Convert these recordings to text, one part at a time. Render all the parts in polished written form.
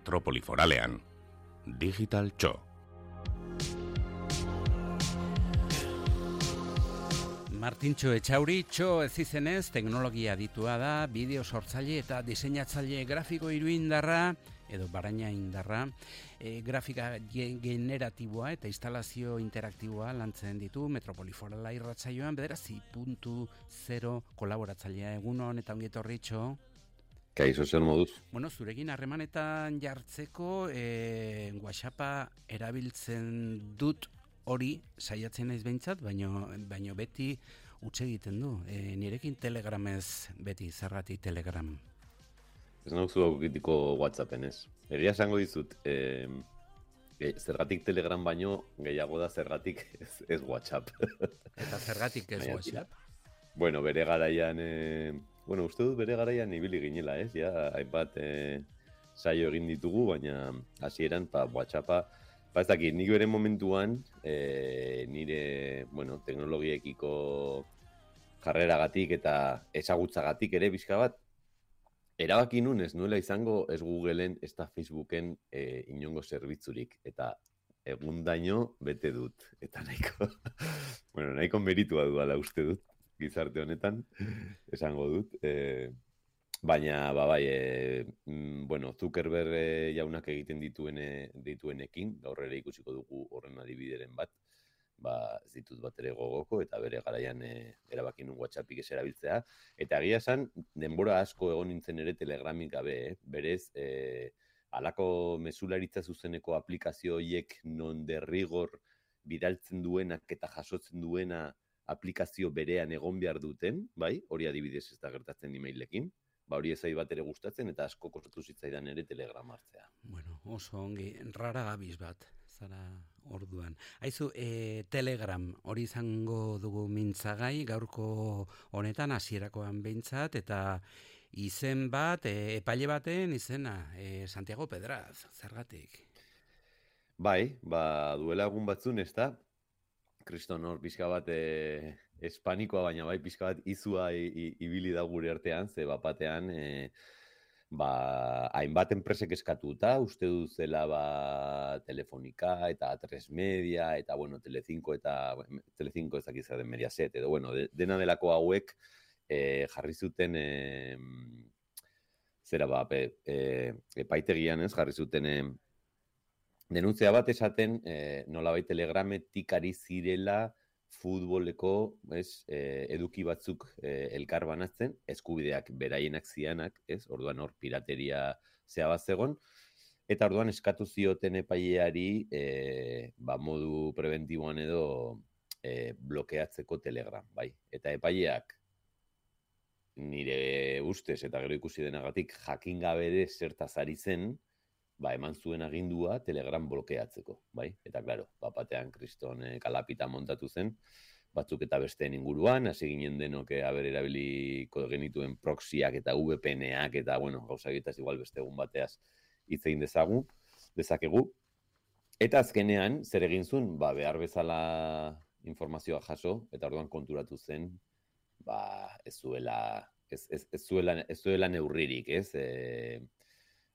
metropoli foralean. Digital Txo. Martintxo Etxauri, Txo ez izenez, teknologia aditua da, bideo sortzaile eta diseinatzaile grafiko iruindarra, edo baraina indarra, grafika generatiboa eta instalazio interaktiboa lantzen ditu Metropoli Forala irratsaioan, bederatzi.0 kolaboratzailea egunon eta ongi etorri, Txo. Kaixo, zer moduz? Bueno, zurekin harremanetan jartzeko, WhatsAppa erabiltzen dut hori saiatzen naiz behintzat, baino beti utz egiten du. Nirekin Telegramez beti, zergatik Telegram. Ez nauzu aukitiko WhatsAppen ez. Egia esango dizut, zergatik Telegram baino gehiago da zergatik ez WhatsApp. Eta zergatik ez WhatsApp? Bueno, bere garaian, uste dut bere garaian ibili ginela ez, ja, hainbat saio egin ditugu, baina hasieran WhatsAppa, ez dakit, nik bere momentuan, nire, teknologiekiko jarreragatik eta ezagutzagatik ere bizka bat, erabaki nun ez nuela izango ez Googleen, ez da Facebooken inongo zerbitzurik, eta egundaino bete dut, eta nahiko meritua duela uste dut, gizarte honetan, esango dut, baina, Zuckerberg jaunak egiten dituenekin, gaur ere ikusiko dugu horren adibideren bat, ez ditut bat ere gogoko, eta bere garaian erabaki nun WhatsAppik ez erabiltzea. Eta egia esan, denbora asko egon nintzen ere Telegramik gabe, berez, halako mezularitza zuzeneko aplikazio horiek non derrigor bidaltzen duenak eta jasotzen duena aplikazio berean egon behar duten, bai, hori adibidez ez da gertatzen e-mailekin, hori ezai bat ere gustatzen eta asko kostatu zitzaidan ere Telegram hartzea. Bueno, oso ongi, rara gabiz bat, zara orduan. Aizu, Telegram hori izango dugu mintzagai, gaurko honetan hasierakoan behintzat, eta izen bat, epaile baten izena, Santiago Pedraz, zergatik? Bai, duela egun batzun, ez da, kriston hor pixka bat espanikoa, baina bai pixka bat izua ibili da gure artean, ze bapatean hainbat enpresek eskatuta, uste duzela Telefonica eta A3 Media eta Telecinco ez dakiz den Mediaset, edo dena delako hauek jarri zuten epaitegian ez, jarri zuten denuntzia bat esaten nolabait Telegrametik ari zirela futboleko eduki batzuk elkar banatzen, eskubideak beraienak zianak, orduan hor pirateria zea bat zegon, eta orduan eskatu zioten epaileari modu preventiboan edo blokeatzeko Telegram, bai. Eta epaileak nire ustez eta gero ikusi denagatik jakin gabe ere zertaz ari zen, eman zuen agindua Telegram blokeatzeko, bai? Eta, klaro, bapatean kriston kalapita montatu zen, batzuk eta besteen inguruan, hasi ginen denok erabiliko genituen proxyak eta VPN-ak, eta, gauzagitaz igual beste egun bateaz hitz egin dezakegu. Eta azkenean, zer egin zuen, behar bezala informazioa jaso, eta orduan konturatu zen, ez zuela neurririk,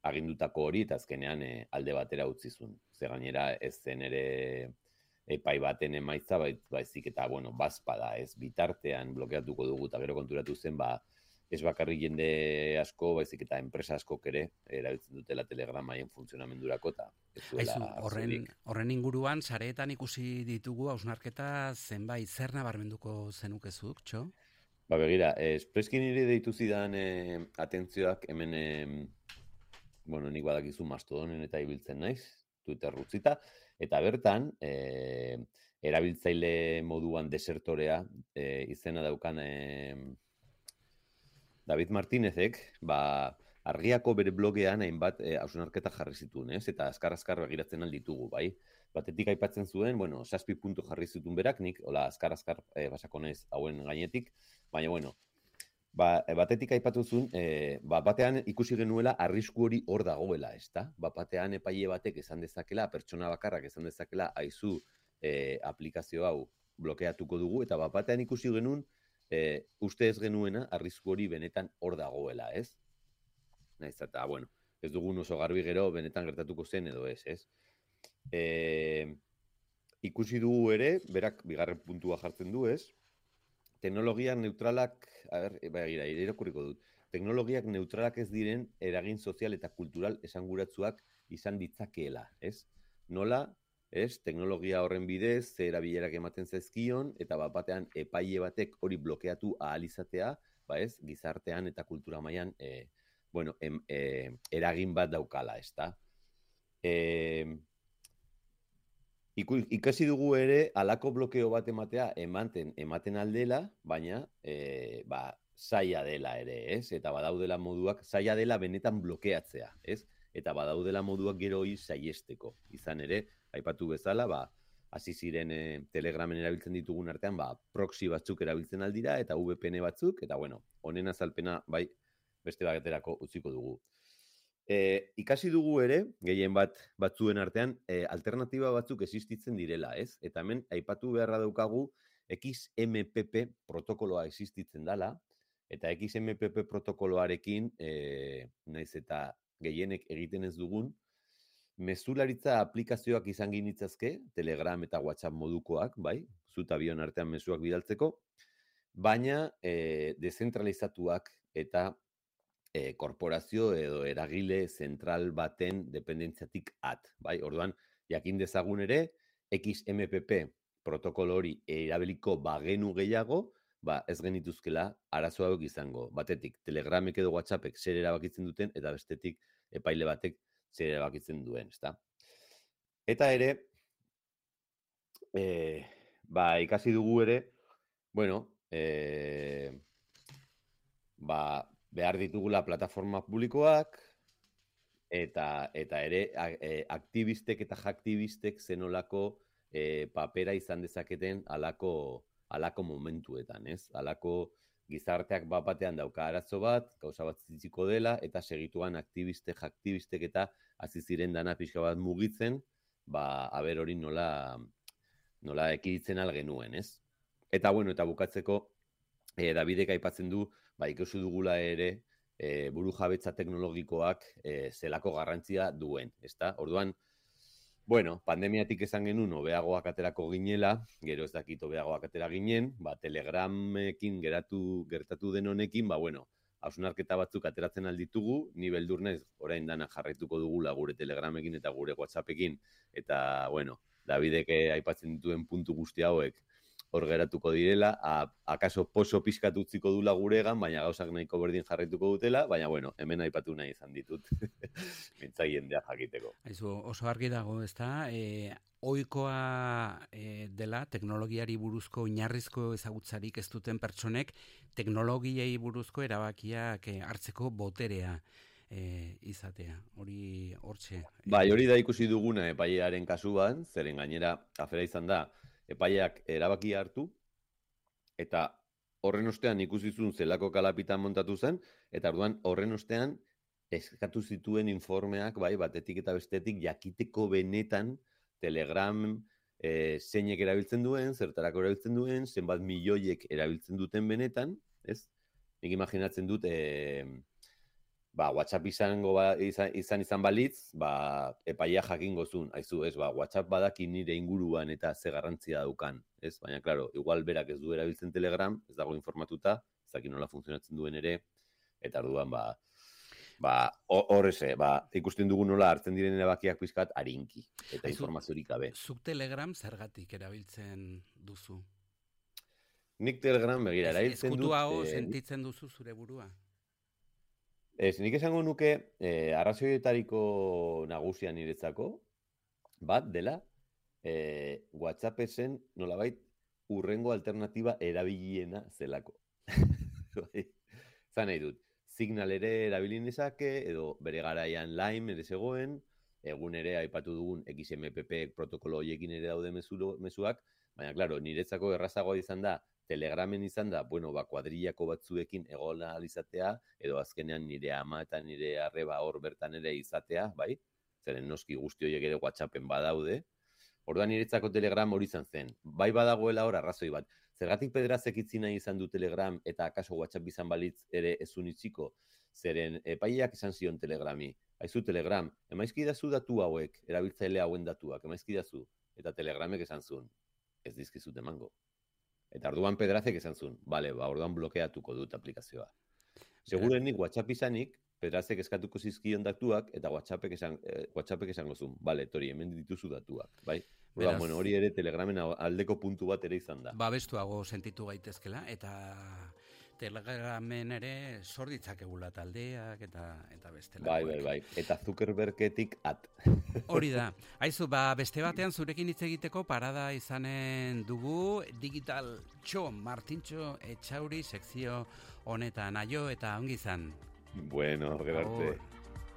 agindutako hori, eta azkenean alde batera utzi zuen. Ze gainera ez zen ere epai baten emaitza, baizik eta, bazpada, ez bitartean blokeatuko dugu, eta gero konturatu zen, ez bakarrik jende asko, baizik eta enpresa askok ere, erabiltzen dutela Telegram haien funtzionamendurako, eta ez zuela horren inguruan, sareetan ikusi ditugu, hausnarketa zenbait, zer nabarmenduko zenukezuk, Txo? Begira, espreski nire deitu zidan atentzioak hemen nik badakizu Mastodonen eta ibiltzen naiz, Twitter utzita, eta bertan, erabiltzaile moduan desertorea izena daukan David Martínezek, argiako bere blogean hainbat hausnarketa jarri zituen, eta azkar begiratzen alditugu, bai? Batetik aipatzen zuen, 7 puntu jarri zituen berak, nik, azkar basako naiz hauen gainetik, baina, batetik aipatu zuen, batean ikusi genuela arrisku hori hor dagoela, ezta? Batean epaile batek esan dezakela, pertsona bakarrak esan dezakela, aizu aplikazio hau blokeatuko dugu, eta batean ikusi genuen, uste ez genuena arrisku hori benetan hor dagoela, ez? Naiz eta, ez dugun oso garbi gero benetan gertatuko zen edo ez? Ikusi dugu ere, berak bigarren puntua jartzen du, ez? Teknologiak neutralak, irakurriko dut. Teknologiak neutralak ez diren eragin sozial eta kultural esanguratsuak izan ditzakeela, ez? Nola, ez? Teknologia horren bidez, ze erabilerak ematen zaizkion, eta batean epaile batek hori blokeatu ahal izatea, ez? Gizartean eta kultura mailan, eragin bat daukala, ezta? Ikasi dugu ere, halako blokeo bat ematen aldela, baina zaila dela ere, ez? Eta badaudela moduak, zaila dela benetan blokeatzea, ez? Eta badaudela moduak gero hori saihesteko. Izan ere, aipatu bezala, hasi ziren Telegramen erabiltzen ditugun artean, proxy batzuk erabiltzen aldira, eta VPN batzuk, eta honen azalpena, beste baterako utziko dugu. Ikasi dugu ere, gehien batzuen artean, alternatiba batzuk existitzen direla, ez? Eta hemen, aipatu beharra daukagu, XMPP protokoloa existitzen dela, eta XMPP protokoloarekin, naiz eta gehienek egiten ez dugun, mezularitza aplikazioak izan ginitzazke, Telegram eta WhatsApp modukoak, zuta bion artean mezuak bidaltzeko, baina dezentralizatuak eta korporazio edo eragile zentral baten dependentziatik Orduan, jakin dezagun ere, XMPP protokolo hori erabiliko bagenu gehiago, ez genituzkela arazo hauek izango. Batetik, Telegramek edo WhatsAppek zer erabakitzen duten, eta bestetik, epaile batek zer erabakitzen duen, ezta? Eta ere, ikasi dugu ere, behar ditugula plataforma publikoak, eta ere aktibistek eta jaktibistek zenolako papera izan dezaketen alako momentuetan, ez? Alako gizarteak batean dauka arazo bat, gauza bat zitziko dela, eta segituan aktibistek, jaktibistek eta hasi ziren dana pixka bat mugitzen, aber hori nola ekiditzen algenuen, ez? Eta bukatzeko, Davidek aipatzen du, ikusi dugula ere, buru jabetza teknologikoak zelako garrantzia duen, ezta? Orduan, pandemiatik esan genuen hobeagoak aterako ginela, gero ez dakit hobeagoak atera ginen, Telegramekin gertatu den honekin, hausnarketa batzuk ateratzen alditugu, ni beldur naiz orain dana jarraituko dugula gure Telegramekin eta gure WhatsAppekin, eta, Davidek aipatzen dituen puntu guzti hauek hor geratuko direla, akaso poso pixkat utziko dula guregan, baina gauzak nahiko berdin jarraituko dutela, baina hemen aipatu nahi izan ditut, mintza jendea jakiteko. Oso argi dago, ezta? Ohikoa dela teknologiari buruzko oinarrizko ezagutzarik ez duten pertsonek teknologiei buruzko erabakiak hartzeko boterea izatea. Hori hortxe. Hori da ikusi duguna epailearen kasuan, zeren gainera afera izan da, epaileak erabaki hartu, eta horren ostean ikusizun zelako kalapitan montatu zen, eta orduan horren ostean eskatu zituen informeak, batetik eta bestetik jakiteko benetan Telegram zeinek erabiltzen duen, zertarako erabiltzen duen, zenbat milioiek erabiltzen duten benetan, ez? Nik imaginatzen dut, WhatsApp izan balitz, epaia jakingo zuen, aizu, ez, WhatsApp badaki nire inguruan eta ze garrantzia daukan, ez? Baina, klaro, igual berak ez du erabiltzen Telegram, ez dago informatuta, ez dakit nola funtzionatzen duen ere, eta orduan, horreze, ikusten dugu nola hartzen diren erabakiak pizkat arinki, eta informaziorik gabe. Zuk Telegram zergatik erabiltzen duzu? Nik Telegram begira erabiltzen dut... Ezkutuago sentitzen duzu zure burua? Nik esango nuke, arrazoietariko nagusia niretzako, bat dela, WhatsApp zen nolabait urrengo alternatiba erabiliena zelako. Zan nahi dut, Signal ere erabilin ezake, edo bere garaian Lime ere zegoen, egun ere aipatu dugun XMPP protokolo horiekin ere daude mezuak, baina, klaro, niretzako errazagoa izan da, Telegramen izan da, kuadrillako batzuekin egola izatea, edo azkenean nire ama eta nire arreba hor bertan ere izatea, bai? Zeren noski guzti horiek ere WhatsAppen badaude. Orduan niretzako Telegram hori izan zen. Bai badagoela hor arrazoi bat. zergatik Pedrazek itzi nahi izan du Telegram eta akaso WhatsApp izan balitz ere ezun itziko? Zeren epaileak esan zion Telegrami. Aizu Telegram, emaizkidazu datu hauek, erabiltzaile hauen datuak, emaizkidazu. Eta Telegramek esan zuen, ez dizkizut emango. Eta orduan Pedrazek esan zuen, bale, orduan blokeatuko dut aplikazioa. Segurenik WhatsApp izanik, Pedrazek eskatuko zizkion datuak, eta WhatsAppek esango zuen, bale, tori, hemen dituzu datuak, bai? Beraz, bueno, hori ere Telegramen aldeko puntu bat ere izan da. Babestuago sentitu gaitezkela, eta Telegramen ere sor ditzakegula taldeak eta bestelakoak. Bai. Eta Zuckerbergetik at. Hori da. Aizu, beste batean zurekin hitz egiteko parada izanen dugu Digital Txo, Martintxo Etxauri sekzio honetan. Aio eta ongi izan. Bueno, gero arte.